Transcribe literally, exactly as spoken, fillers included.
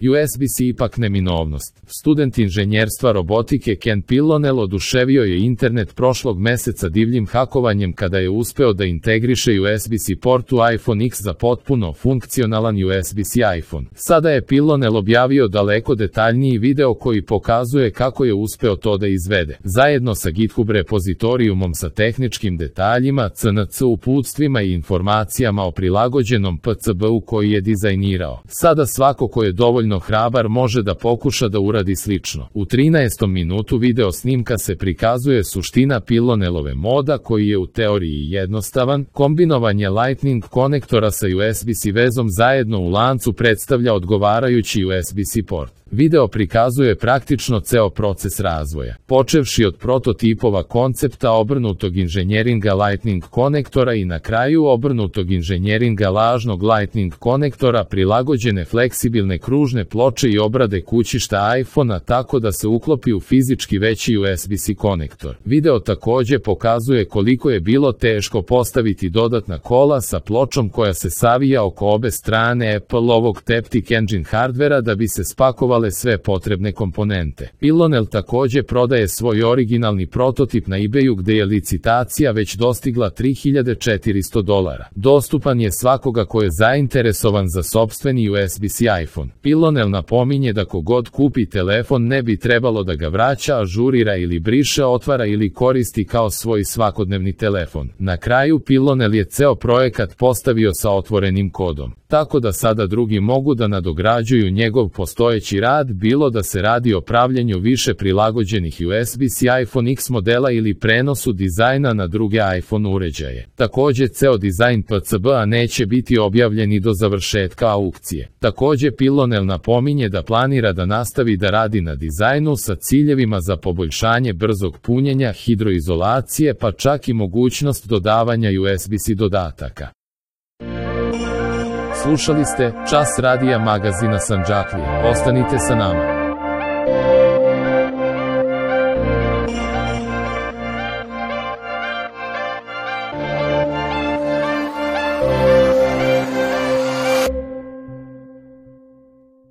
U S B C ipak neminovnost. Student inženjerstva robotike Ken Pillonel oduševio je internet prošlog meseca divljim hakovanjem kada je uspeo da integriše U S B C port u iPhone X za potpuno funkcionalan U S B C iPhone. Sada je Pillonel objavio daleko detaljniji video koji pokazuje kako je uspeo to da izvede. Zajedno sa GitHub repozitorijumom sa tehničkim detaljima, C N C uputstvima i informacijama o prilagođenom P C B-u koji je dizajnirao. Sada svako ko je dovoljno hrabar može da pokuša da uradi slično. U trinaestom minutu video snimka se prikazuje suština Pillonelove moda koji je u teoriji jednostavan. Kombinovanje Lightning konektora sa U S B C vezom zajedno u lancu predstavlja odgovarajući U S B C port. Video prikazuje praktično ceo proces razvoja, počevši od prototipova koncepta obrnutog inženjeringa Lightning konektora i na kraju obrnutog inženjeringa lažnog Lightning konektora prilagođene fleksibilne kružne ploče i obrade kućišta iPhone-a tako da se uklopi u fizički veći U S B C konektor. Video takođe pokazuje koliko je bilo teško postaviti dodatna kola sa pločom koja se savija oko obe strane Apple-ovog Taptic Engine hardvera da bi se spakovali sve potrebne komponente. Pillonel takođe prodaje svoj originalni prototip na eBayu gde je licitacija već dostigla tri hiljade četiristo dolara. Dostupan je svakoga ko je zainteresovan za sopstveni U S B C iPhone. Pillonel napominje da kogod kupi telefon ne bi trebalo da ga vraća, ažurira ili briše, otvara ili koristi kao svoj svakodnevni telefon. Na kraju Pillonel je ceo projekat postavio sa otvorenim kodom, tako da sada drugi mogu da nadograđuju njegov postojeći rad, bilo da se radi o pravljenju više prilagođenih U S B C iPhone X modela ili prenosu dizajna na druge iPhone uređaje. Takođe, ceo dizajn P C B-a neće biti objavljen i do završetka aukcije. Takođe, Pillonel napominje da planira da nastavi da radi na dizajnu sa ciljevima za poboljšanje brzog punjenja, hidroizolacije, pa čak i mogućnost dodavanja U S B C dodataka. Slušali ste Čas radija magazina Sandžaklija. Ostanite sa nama.